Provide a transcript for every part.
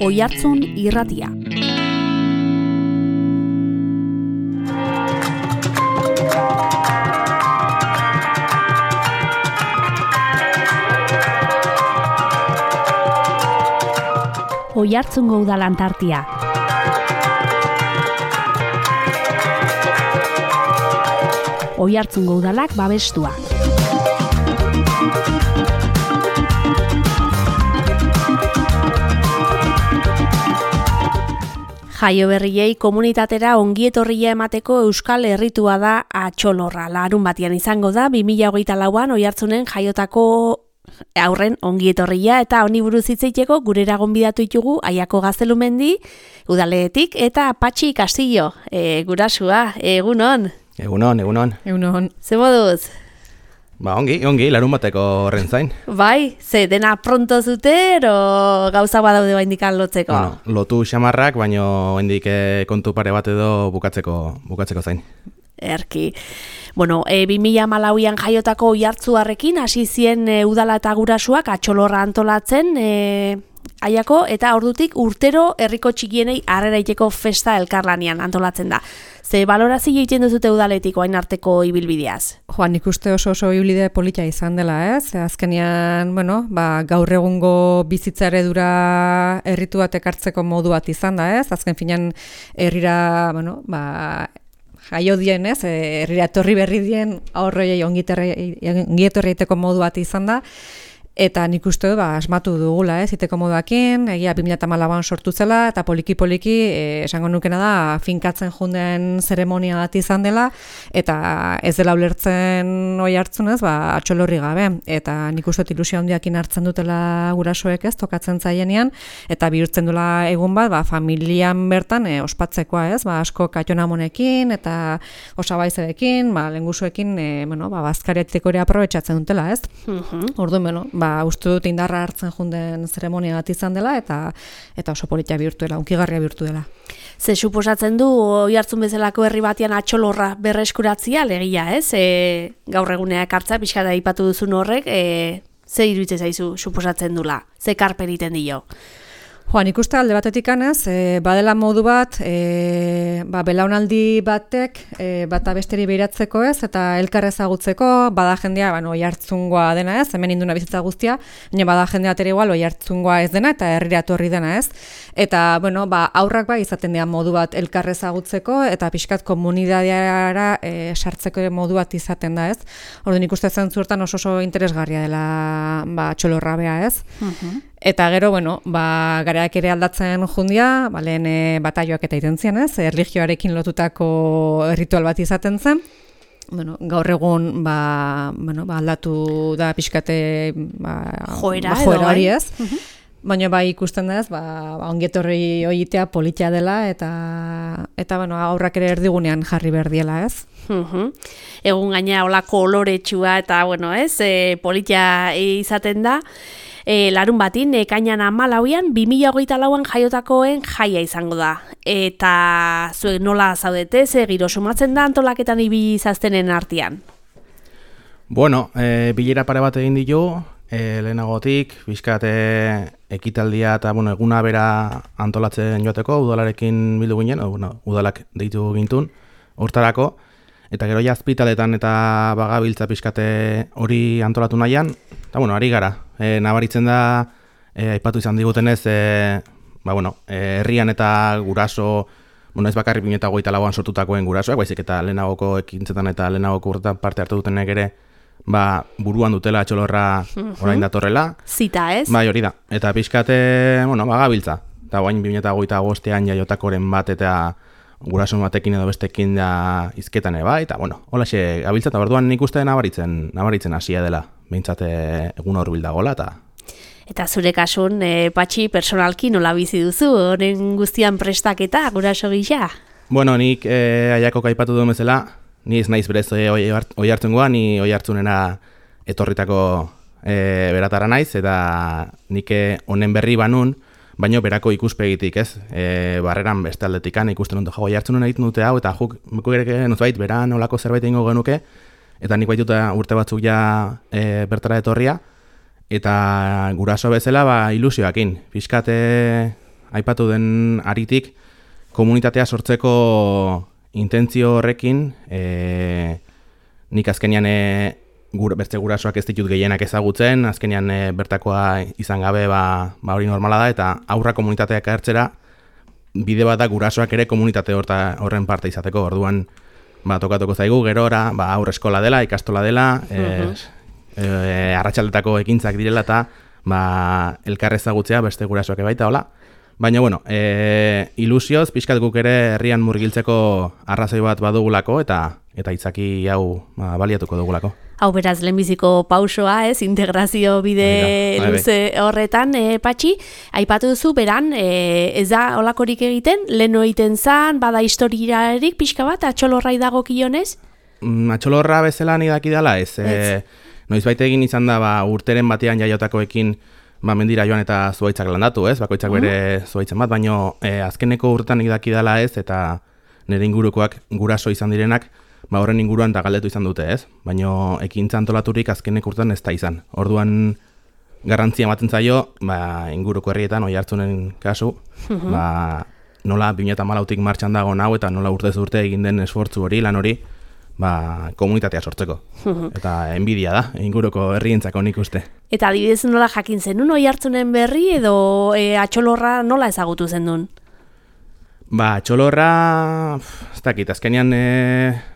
Oihartzun Irratia. Oihartzungo udal Antartia. Oihartzungo udalak babestua. Jaio berriei komunitatera ongietorria emateko euskal herritua da atxolorra. Larun batian izango da 2024an Oihartzunen jaiotako aurren ongietorria eta honi buruz hitz egiteko gurera gonbidatu ditugu Aiako Gaztelumendi udaletik eta Patxi Castillo, gurasua, egunon. Egunon. Ze moduz? Ongi, larun bateko horren zain. Bai, ze dena pronto zute, ero gauza badaude baindikan lotzeko? Bueno, lotu xamarrak, baino hendik kontu pare bat edo bukatzeko zain. Erki. Bueno, 2014an jaiotako Oihartzuarrekin hasi zien udala eta gurasuak atxolorra antolatzen Aiako, eta ordutik urtero herriko txikienei harrera egiteko festa elkarlanean antolatzen da. Ze balorazio egiten duzute udaletik orain arteko ibilbideaz? Nik uste oso ibilbide polita izan dela, ez? Azkenean, gaur egungo bizitza eredura herritu bat ekartzeko modu bat izan da, ez? Azken finean herrira, jaio dien, ez? Herrira etorri berri dien aurroiei ongietorri egiteko modu bat izan da. Eta nik uste asmatu dugula, iteko moduakin, egia 2014an sortu zela, eta poliki esango nukena da, finkatzen junden zeremonia bat izan dela, eta ez dela ulertzen Oihartzunez, atxolorri gabe. Eta nik uste ilusio handiakin hartzen dutela gurasoek, ez, tokatzen zaienean, eta bihurtzen dela egun bat, familian bertan ospatzekoa, ez, asko kaitonamonekin, eta osabaizerekin, lengusuekin, bazkariatiko ere aprobetxatzen dutela, ez? Orduan, uste dut indarra hartzen junden zeremonia bat izan dela eta oso politia bihurtu dela, unkigarria bihurtu dela. Ze suposatzen du Oihartzun bezalako herri batean atxolorra berreskuratzea legia, ez? Gaur eguneak hartza pixka da aipatu duzun horrek, ze iruditzen zaizu suposatzen dula? Ze karpen egiten dio? Nik uste alde batetik anez, badela modu bat, belaunaldi batek bata besteri behiratzeko, ez, eta elkar ezagutzeko, bada jendea, Oihartzungoa dena, ez, hemen induna bizitza guztia, baina bada jendea ere igual Oihartzungoa ez dena eta herrira etorri dena, ez. Eta, aurrak izaten dira modu bat elkar ezagutzeko eta pixkat komunitateara sartzeko modu bat izaten da, ez. Orduan ikuste zentzuertan oso interesgarria dela atxolorra bea, ez. Eta gero, garaak ere aldatzen jundia, lehen bataioak eta iten zian, ez, erlijioarekin lotutako ritual bat izaten zen. Gaur egun, aldatu da pixkate joera hori, ez. Baina ikusten da ez, ongietorri oitea politia dela eta aurrak ere erdigunean jarri behar diela, ez. Egun gaina holako oloretsua eta, politia izaten da. Larun batin, ekainan 14an, 2024an jaiotakoen jaia izango da. Eta zuek nola zaudete, ze giro sumatzen da antolaketan ibizaztenen artean? Bilera pare bat egin ditu, lehenagotik, bizkate ekitaldia eta eguna bera antolatzen joateko, udalarekin bildu ginen, udalak deitu gintun, hortarako, eta gero jazpitaletan eta bagabiltza pixkate hori antolatu nahian, eta ari gara. Nabaritzen da, aipatu izan digutenez, herrian eta guraso, ez bakarrik 2024an sortutakoen gurasoak, baizik eta lehenagoko ekintzetan eta lehenagoko urtetan parte hartu dutenek ere, buruan dutela atxolorra orain datorrela. Zita, ez? Hori da. Eta pixkate, bagabiltza. Eta guain 2025an jaiotakoren bat eta guraso batekin edo bestekin da izketan eta holaxe gabiltza, eta orduan nik uste nabaritzen hasia dela, behintzat egun hor bildagola, Eta zure kasun, Patxi, personalki nola bizi duzu, honen guztian prestaketa, guraso gisa? Nik Aiako aipatu duen bezala, ni ez naiz berez Oihartzungoa, ni Oihartzunera etorritako beratara naiz, eta nik honen berri banun, baino berako ikuspegitik, ez? Barreran beste aldetikan ikusten dut, Oihartzunen egiten dute hau, eta juk ere nozbait, beran olako zerbait egingo genuke, eta nik baituta urte batzuk ja bertara etorria, eta guraso bezala ilusioakin. Fiskat aipatu den aritik, komunitatea sortzeko intentzio horrekin, nik azkenean beste gurasoak ez ditut gehienak ezagutzen, azkenean bertakoa izan gabe hori normala da, eta aurra komunitateak hartzera, bide bat da gurasoak ere komunitate horren parte izateko, orduan tokatuko zaigu, gerora, aurre eskola dela, ikastola dela, arratsaldetako ekintzak direla eta elkar ezagutzea beste gurasoak baita, hola. Baina, ilusioz, pixkat guk ere herrian murgiltzeko arrazoi bat badugulako eta itzaki hau baliatuko dugulako. Hau beraz, lehenbiziko pausoa, integrazio bide luze horretan, Patxi, aipatu duzu, beran, ez da olakorik egiten, leheno egiten zan, bada historiarik pixka bat, atxolorrai dago kionez? Atxolorra bezala nidaki dela, ez. Noizbait egin izan da, urteren batean jaiotakoekin, mendira joan eta zuhaitzak landatu, ez? Bakoitzak bere zuhaitzen bat, baina azkeneko urtetan idaki dela, ez? Eta nire ingurukoak guraso izan direnak, horren inguruan eta galdetu izan dute, ez? Baina ekintza antolaturik azkenek urtean ez da izan. Orduan garrantzia ematen zaio, inguruko herrietan, Oiartzunen kasu, nola 2014tik martxan dago hau eta nola urtez urte egin den esfortzu hori, lan hori, komunitatea sortzeko. Eta enbidia da, inguruko herrientzako nik uste. Eta adibidez nola jakin zenun Oiartzunen berri edo atxolorra nola ezagutu zenun? Atxolorra, ez dakit, azkenean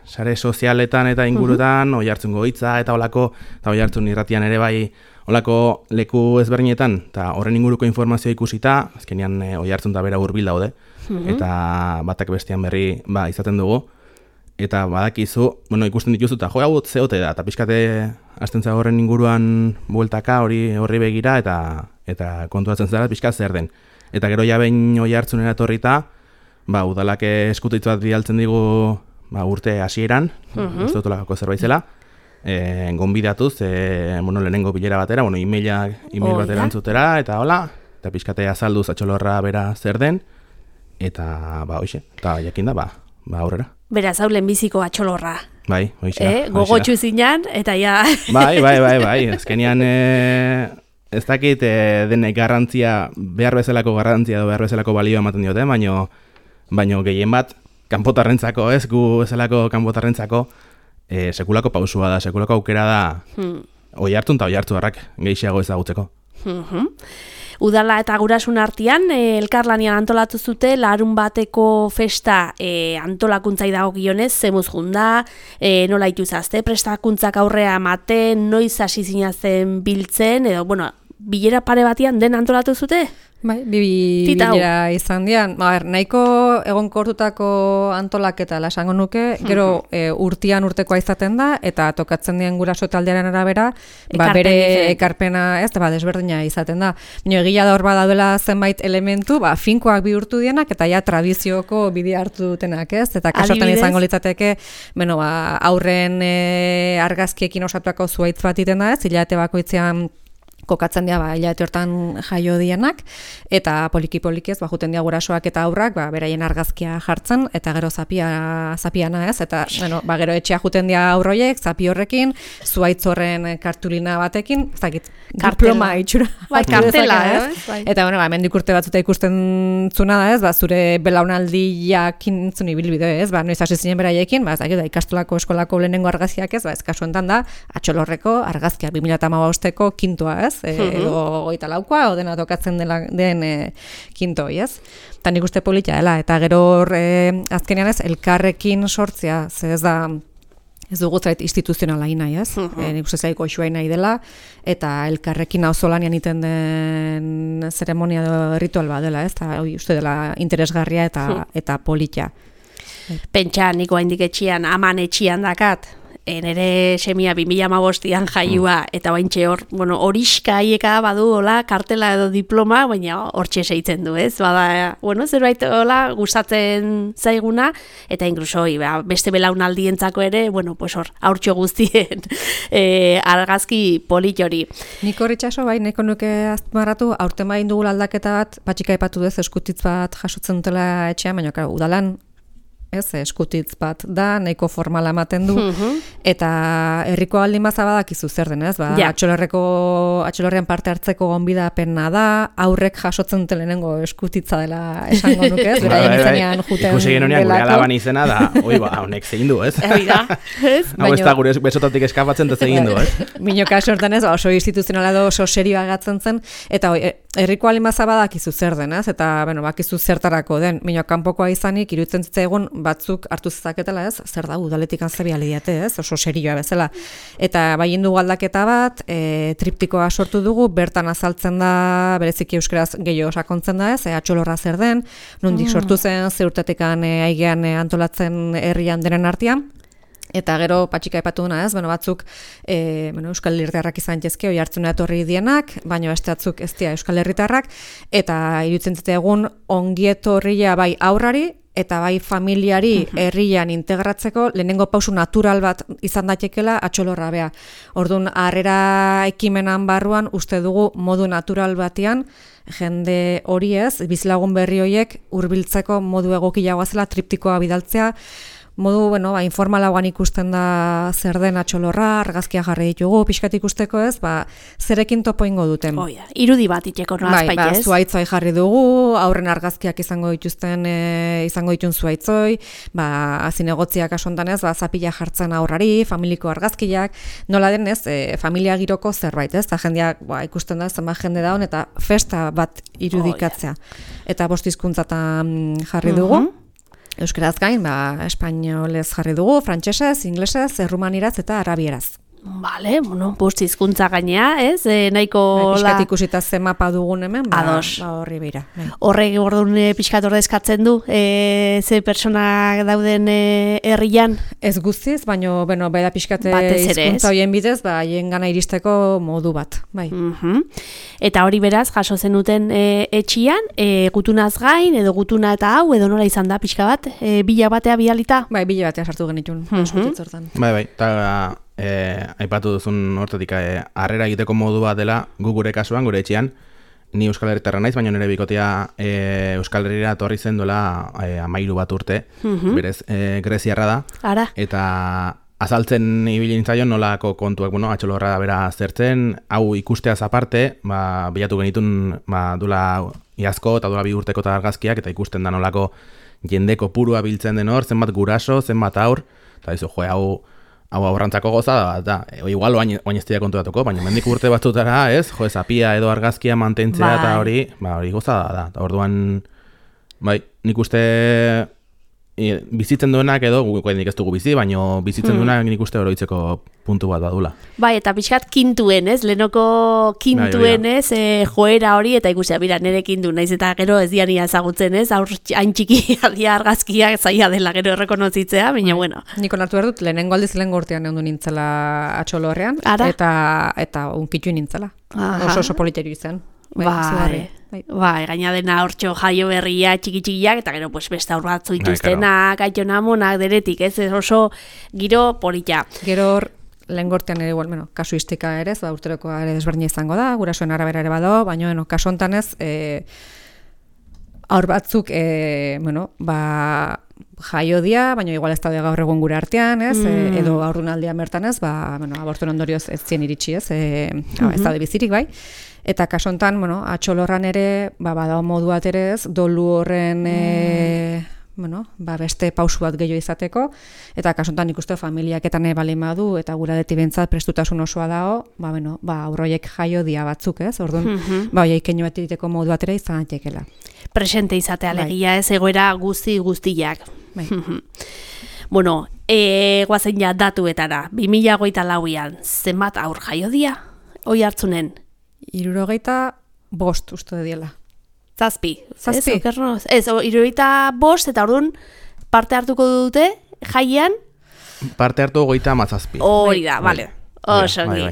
sare sozialetan eta ingurutan, Oiartzungo hitza eta olako, eta Oiartzun irratian ere bai olako leku ezberdinetan, eta horren inguruko informazioa ikusita, azkenean Oiartzun da bera hurbil daude, eta batak bestean berri izaten dugu, eta badakizu, ikusten dituzu, eta hau zeote da, eta pixkate hasten zago horren inguruan bueltaka horri begira, eta kontuatzen zara pixka zer den. Eta gero ja behin Oiartzunera etorrita, udalak eskutitzu bat bidaltzen digu urte hasieran, uste dutolako zerbait zela, gonbidatuz, lehenengo bilera batera, email bat erantzutera, eta hola, eta pixkate azalduz atxolorra bera zer den, eta hoxe, eta jakin da, aurrera. Beraz, hau lehenbiziko atxolorra. Bai, hoxe. Gogotxu zinan, eta ja... Bai, azkenean ez dakit denek garrantzia, behar bezalako garrantzia edo behar bezalako balio ematen diote, baino gehien bat, kanpotarrentzako, gu bezalako kanpotarrentzako, sekulako pausua da, sekulako aukera da, Oiartzun eta Oiartzunarrak gehiago ezagutzeko. Udala eta gurasun artean, elkarlanian antolatu zute, larun bateko festa antolakuntzai dago gionez, zemuz junda, nola ituzazte, prestakuntzak aurrea ematen, noiz hasi zinazen biltzen, edo, bilera pare batian den antolatu zute? Bai, bilera izan dian. Nahiko egonkortutako antolaketa esango nuke, gero urtekoa izaten da, eta tokatzen dien guraso taldearen arabera, bere ekarpena desberdina izaten da. Baina egia da hor badaudela zenbait elementu, finkoak bihurtu dienak, eta ja tradizioko bidea hartu dutenak, ez? Eta kasotan izango litzateke, aurren argazkiekin osatuako zuhaitz bat iten da, ez? Hilabete bakoitzean kokatzen dira hilabete hortan jaio dienak, eta poliki-polikiez juten dira gurasoak eta aurrak beraien argazkia jartzen, eta gero zapiana, ez? Eta gero etxea juten dira aurroiek, zapi horrekin, zuhaitz horren kartulina batekin, ez dakit, diploma itxura. Kartela, ez? Eta, hemendik urte batzuta ikusten zuna da, ez? Zure belaunaldiakin zuni bilbide, ez? Noiz hasi zinen beraiekin, ez dakit, ikastolako eskolako lehenengo argazkiak, ez? Ez kasu enten da, atxolorreko argazkia 2015ko kintoa, ez? Edo 24koa, dena tokatzen den kintoi, ez? Eta nik uste polita dela, eta gero azkenean ez, elkarrekin sortzea, ez da, ez dugu zait instituzionala nahi, ez? Nik uste zaiko xoa nahi dela, eta elkarrekin auzolanean iten den zeremonia edo ritual bat dela, ez? Eta uste dela interesgarria eta polita. Pentsa, niko haindik etxian, aman etxian dakat, nere semia 2015an jaiua, eta baintxe hor, horiska haieka badu, hola, kartela edo diploma, baina hortxe seitzen du, ez? Zerbait, hola, gustatzen zaiguna, eta inkluso, beste belaunaldientzako ere, hor, haurtxo guztien argazki polit hori. Niko horritxaso, neko nuke azmarratu, aurten bain dugula aldaketa bat, patxika epatu dez, eskutitz bat jasotzen dutela etxean, baina, udalan, ez, eskutitz bat da, nahiko formala ematen du, eta herriko aldin baza badakizu zer den, ez? Ba, atxolorrean parte hartzeko gonbidapena da, aurrek jasotzen dute lehenengo eskutitza dela esango nuke, ez? Beraien izenean juten ikusi genunean gure alaban izena da, honek zein du, ez? Hau ez da gure besotatik eskapatzen da zein du, ez? Minoka sortan ez, oso instituzionala edo oso serioa agatzen zen, eta herriko aldin baza badakizu zer den, ez? Eta, bakizu zertarako den, minok kanpokoa izanik, iruditzen zitzaigun batzuk hartu zezaketela, ez? Zer da, udaletik antzebia lidiate, ez? Oso serioa bezala. Eta baien dugu aldaketa bat, triptikoa sortu dugu, bertan azaltzen da, bereziki euskaraz gehiago sakontzen da, ez? Atxolorra zer den, nondik sortu zen, ze urtetekan aigean antolatzen herrian denen artean. Eta gero patxika epatu duna, ez? Batzuk Euskal Herritarrak izan jezke, oi hartzuna etorri dienak, baina beste batzuk ez dira Euskal Herritarrak, eta iruditzen egun ongietorria bai aurrari, eta bai familiari herrian integratzeko lehenengo pausu natural bat izan datekela atxolorra bea. Orduan, harrera ekimenan barruan uste dugu modu natural batean jende hori ez, bizilagun berri horiek hurbiltzeko modu egokiagoa zela triptikoa bidaltzea, modu, informalagoan ikusten da zer den atxolorra, argazkia jarri ditugu, pixkat ikusteko ez, zerekin topo ingo duten. Irudi bat itxeko nolazpait ez? Zuaitzoi jarri dugu, aurren argazkiak izango ditun zuaitzoi, zinegotziak asontan ez, zapila jartzen aurrari, familiko argazkiak, nola den ez, familia giroko zerbait ez, eta jendeak ikusten da zenbat jende daun, eta festa bat irudikatzea. Eta 5 hizkuntzatan jarri dugu. Euskaraz gain, espainolez jarri dugu, frantsesez, inglesez, errumaniraz eta arabieraz. Bale, 5 hizkuntza gainea, ez? Nahiko pixkat ikusita ze mapa dugun hemen, horri beira. Horrek orduan pixkat ordezkatzen du, ze pertsona dauden herrian? Ez guztiz, baina beda pixkat hizkuntza horien bidez, haien gana iristeko modu bat. Eta hori beraz, jaso zenuten etxian, gutunaz gain, edo gutuna eta hau, edo nola izan da pixka bat, bila batea bialita? Bai, bila batea sartu genitun, eskutitzortan. Bai, eta aipatu duzun hortatik harrera egiteko modu bat dela gure kasuan, gure etxean, ni Euskal Herritarra naiz, baina nire bikotea Euskal Herrira etorri zen duela 13 bat urte, berez greziarra da, eta azaltzen ibili nintzaion nolako kontuak, atxolorra da bera zertzen, hau ikusteaz aparte, bilatu genitun duela iazko eta duela 2 urteko eta argazkiak, eta ikusten da nolako jendeko purua biltzen den hor, zenbat guraso, zenbat aur, eta dizu, hau aurrantzako goza da, igual oain ez dira konturatuko, baina mendik urte batzutara, ez, zapia edo argazkia mantentzea eta hori goza da. Orduan, nik uste bizitzen duenak edo, nik ez dugu bizi, baina bizitzen duenak nik uste oroitzeko puntu bat badula. Eta pixkat kintuen, ez, lehenoko kintuen, ez, joera hori, eta ikusea, nire kintu, naiz eta gero ez diania ezagutzen, ez, hain txiki adia argazkiak zaila dela gero errekonozitzea, baina bueno. Niko nartu behar dut, lehenengo aldiz lehenengo urtean egon du nintzela atxolorrean, eta unkitu nintzela. Oso politerio izan. Gaina dena hortxo jaio berria txiki-txikiak, eta gero beste aur batzu dituztenak, aitonamonak, deretik, ez oso giro polita. Gero lehen gortean ere, kasuistika ere, urterokoa ere desberdina izango da, gurasoen arabera ere bado, baina kasu hontan ez, aur batzuk, jaio dia, baina igual ez daude gaur egun gure artean, ez, edo aurrunaldian bertan ez, abortuen ondorioz ez zien iritsi, ez daude bizirik, bai. Eta kasu hontan, atxolorran ere, badao modu bat ere ez, dolu horren, beste pausu bat gehiago izateko, eta kasu hontan ikuste familiaketan balin badu, eta gura deti bentzat prestutasun osoa dago, aurroiek jaio dia batzuk, ez, orduan, horiek keinu bat egiteko modu bat ere izan datekela. Presente izatea alegia, ez, egoera guztiak. Guazen ja datuetara, 2024an, zenbat aur jaio dia, oi hartzunen? 65 uste diela. Zazpi. Ez, 65 eta orduan parte hartuko dute jaiean? Parte hartu 37. Hori da, bale. Osongi.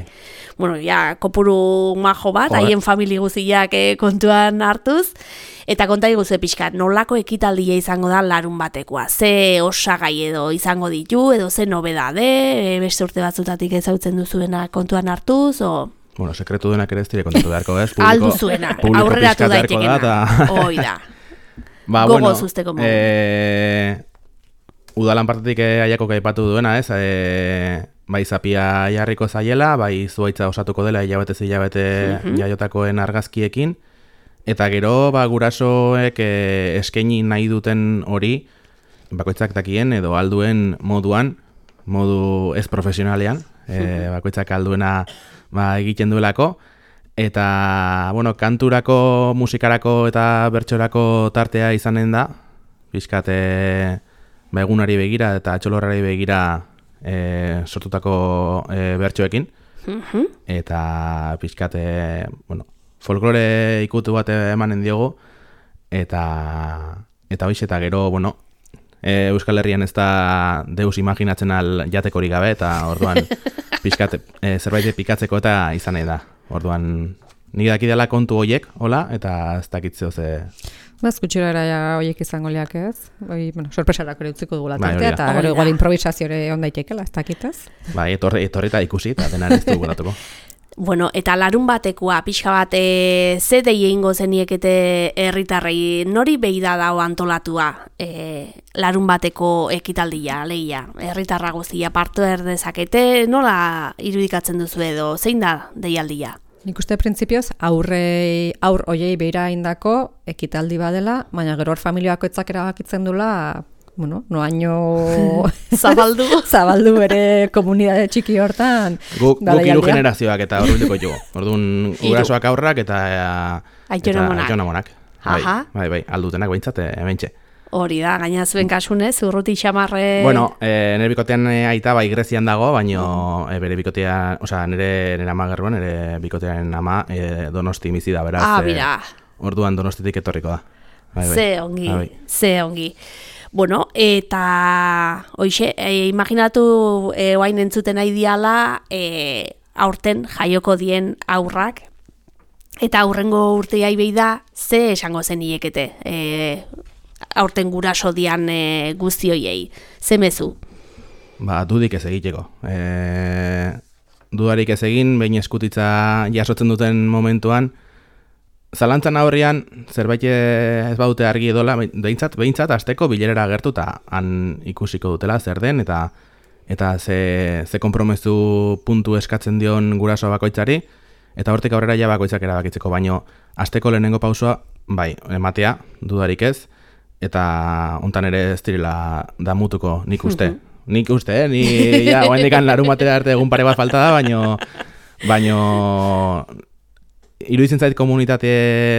Kopuru majo bat, haien famili guztiak kontuan hartuz, eta konta iguze pixkat, nolako ekitaldia izango da larun batekoa? Ze osagai edo izango ditu, edo ze nobedade, beste urte batzutatik ezautzen duzuena kontuan hartuz, sekretu denak ere ez dire kontatu beharko, ez? Aldu zuena, aurreratu daitekena. Hoi da. Gogoz usteko modu. udalan partetik aiakok aipatu duena, ez? Bai zapia jarriko zaiela, bai zuaitza osatuko dela hilabete jaiotakoen argazkiekin, eta gero gurasoek eskaini nahi duten hori, bakoitzak dakien edo alduen modu ez profesionalean, bakoitzak alduena egiten duelako, eta, kanturako, musikarako eta bertsorako tartea izanen da, pixkat egunari begira eta atxolorrari begira sortutako bertsoekin, eta pixkat, folklore ikutu bat emanen diogu, eta hoiz, eta gero, Euskal Herrian ez da deus imaginatzen jatekorik gabe, eta orduan pixkat zerbait pikatzeko eta izan nahi da. Orduan, nik dakidala kontu hoiek, hola, eta ez dakitzeo ze... Gutxirara hoiek izango liak ez. Sorpresarako ere utziko dugula tartea, eta gero igual improvisaziore ondaitekela, ez dakitez. Etorri eta ikusi, eta dena ez dugu datuko. Eta larun batekoa, pixka bat, ze dei egingo zeniekete herritarrei, nori behi da dago antolatua larun bateko ekitaldia, lehia, herritarra guztia partu erdezakete, nola irudikatzen duzu edo, zein da deialdia? Nik uste printzipioz, aur oiei behira indako ekitaldi badela, baina gero hor familiako etzak erabakitzen dula, noaino zabaldu bere komunidade txiki hortan. Guk hiru generazioak eta horbilduko jugo. Orduan, gurasoak aurrak eta aitonamonak. Bai, aldutenak behintzat, hementxe. Hori da, gaina zuen kasunez, urruti xamarre... Nire bikotean aita bai Grezian dago, baina bere bikotea, nire ama gerruan, nire bikotearen ama Donosti bizi da, beraz. Bira. Orduan Donostitik etorriko da. Ze ongi. Eta hoixe, imaginatu oain entzuten nahi diala aurten jaioko dien aurrak, eta aurrengo urteai behi da, ze esango zen iekete aurten guraso dian guztioiei, ze mezu? Dudik ez egiteko. Dudarik ez egin, behin eskutitza jasotzen duten momentuan, zalantzan aurrian, zerbait ez baute argi edola, behintzat asteko bilerera agertu eta han ikusiko dutela zer den, eta ze konpromezu puntu eskatzen dion guraso bakoitzari, eta hortik aurrera ja bakoitzak erabakitzeko, baino asteko lehenengo pausua, bai, ematea, dudarik ez, eta hontan ere ez direla damutuko nik uste. Nik uste, ni oaindikan larun batera arte egun pare bat falta da, baino iruditzen zait komunitate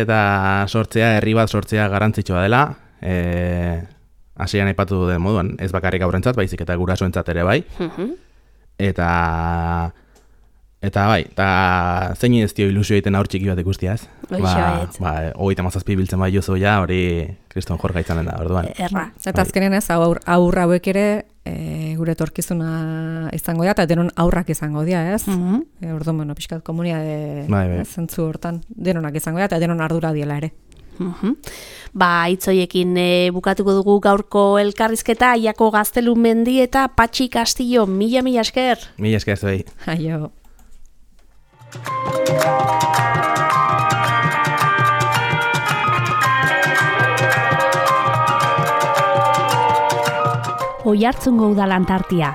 eta sortzea, herri bat sortzea garrantzitsua dela, hasieran aipatu den moduan, ez bakarrik aurrentzat, baizik eta gurasoentzat ere bai, eta bai, zein ez dio ilusio egiten aur txiki bat ikustia ez? 37 biltzen bai jozo ja, hori kriston jorga izanen da, orduan. Eta azkenen ez, aur hauek ere gure etorkizuna izango dira, eta denon aurrak izango dira, ez? Orduan, pixkat komunitate zentzu hortan, denonak izango dira, eta denon ardura diela ere. Itzoiekin bukatuko dugu gaurko elkarrizketa, Aiako Gaztelu Mendi eta Patxi Castillo, mila esker. Mila esker zuei. Aio. Oiartzungo udalan tartia.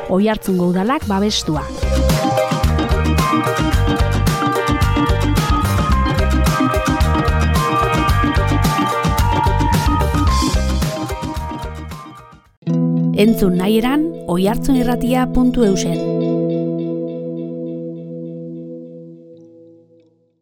Oiartzungo udalak babestua. Entzun nahi eran, oiartzunirratia.eusen.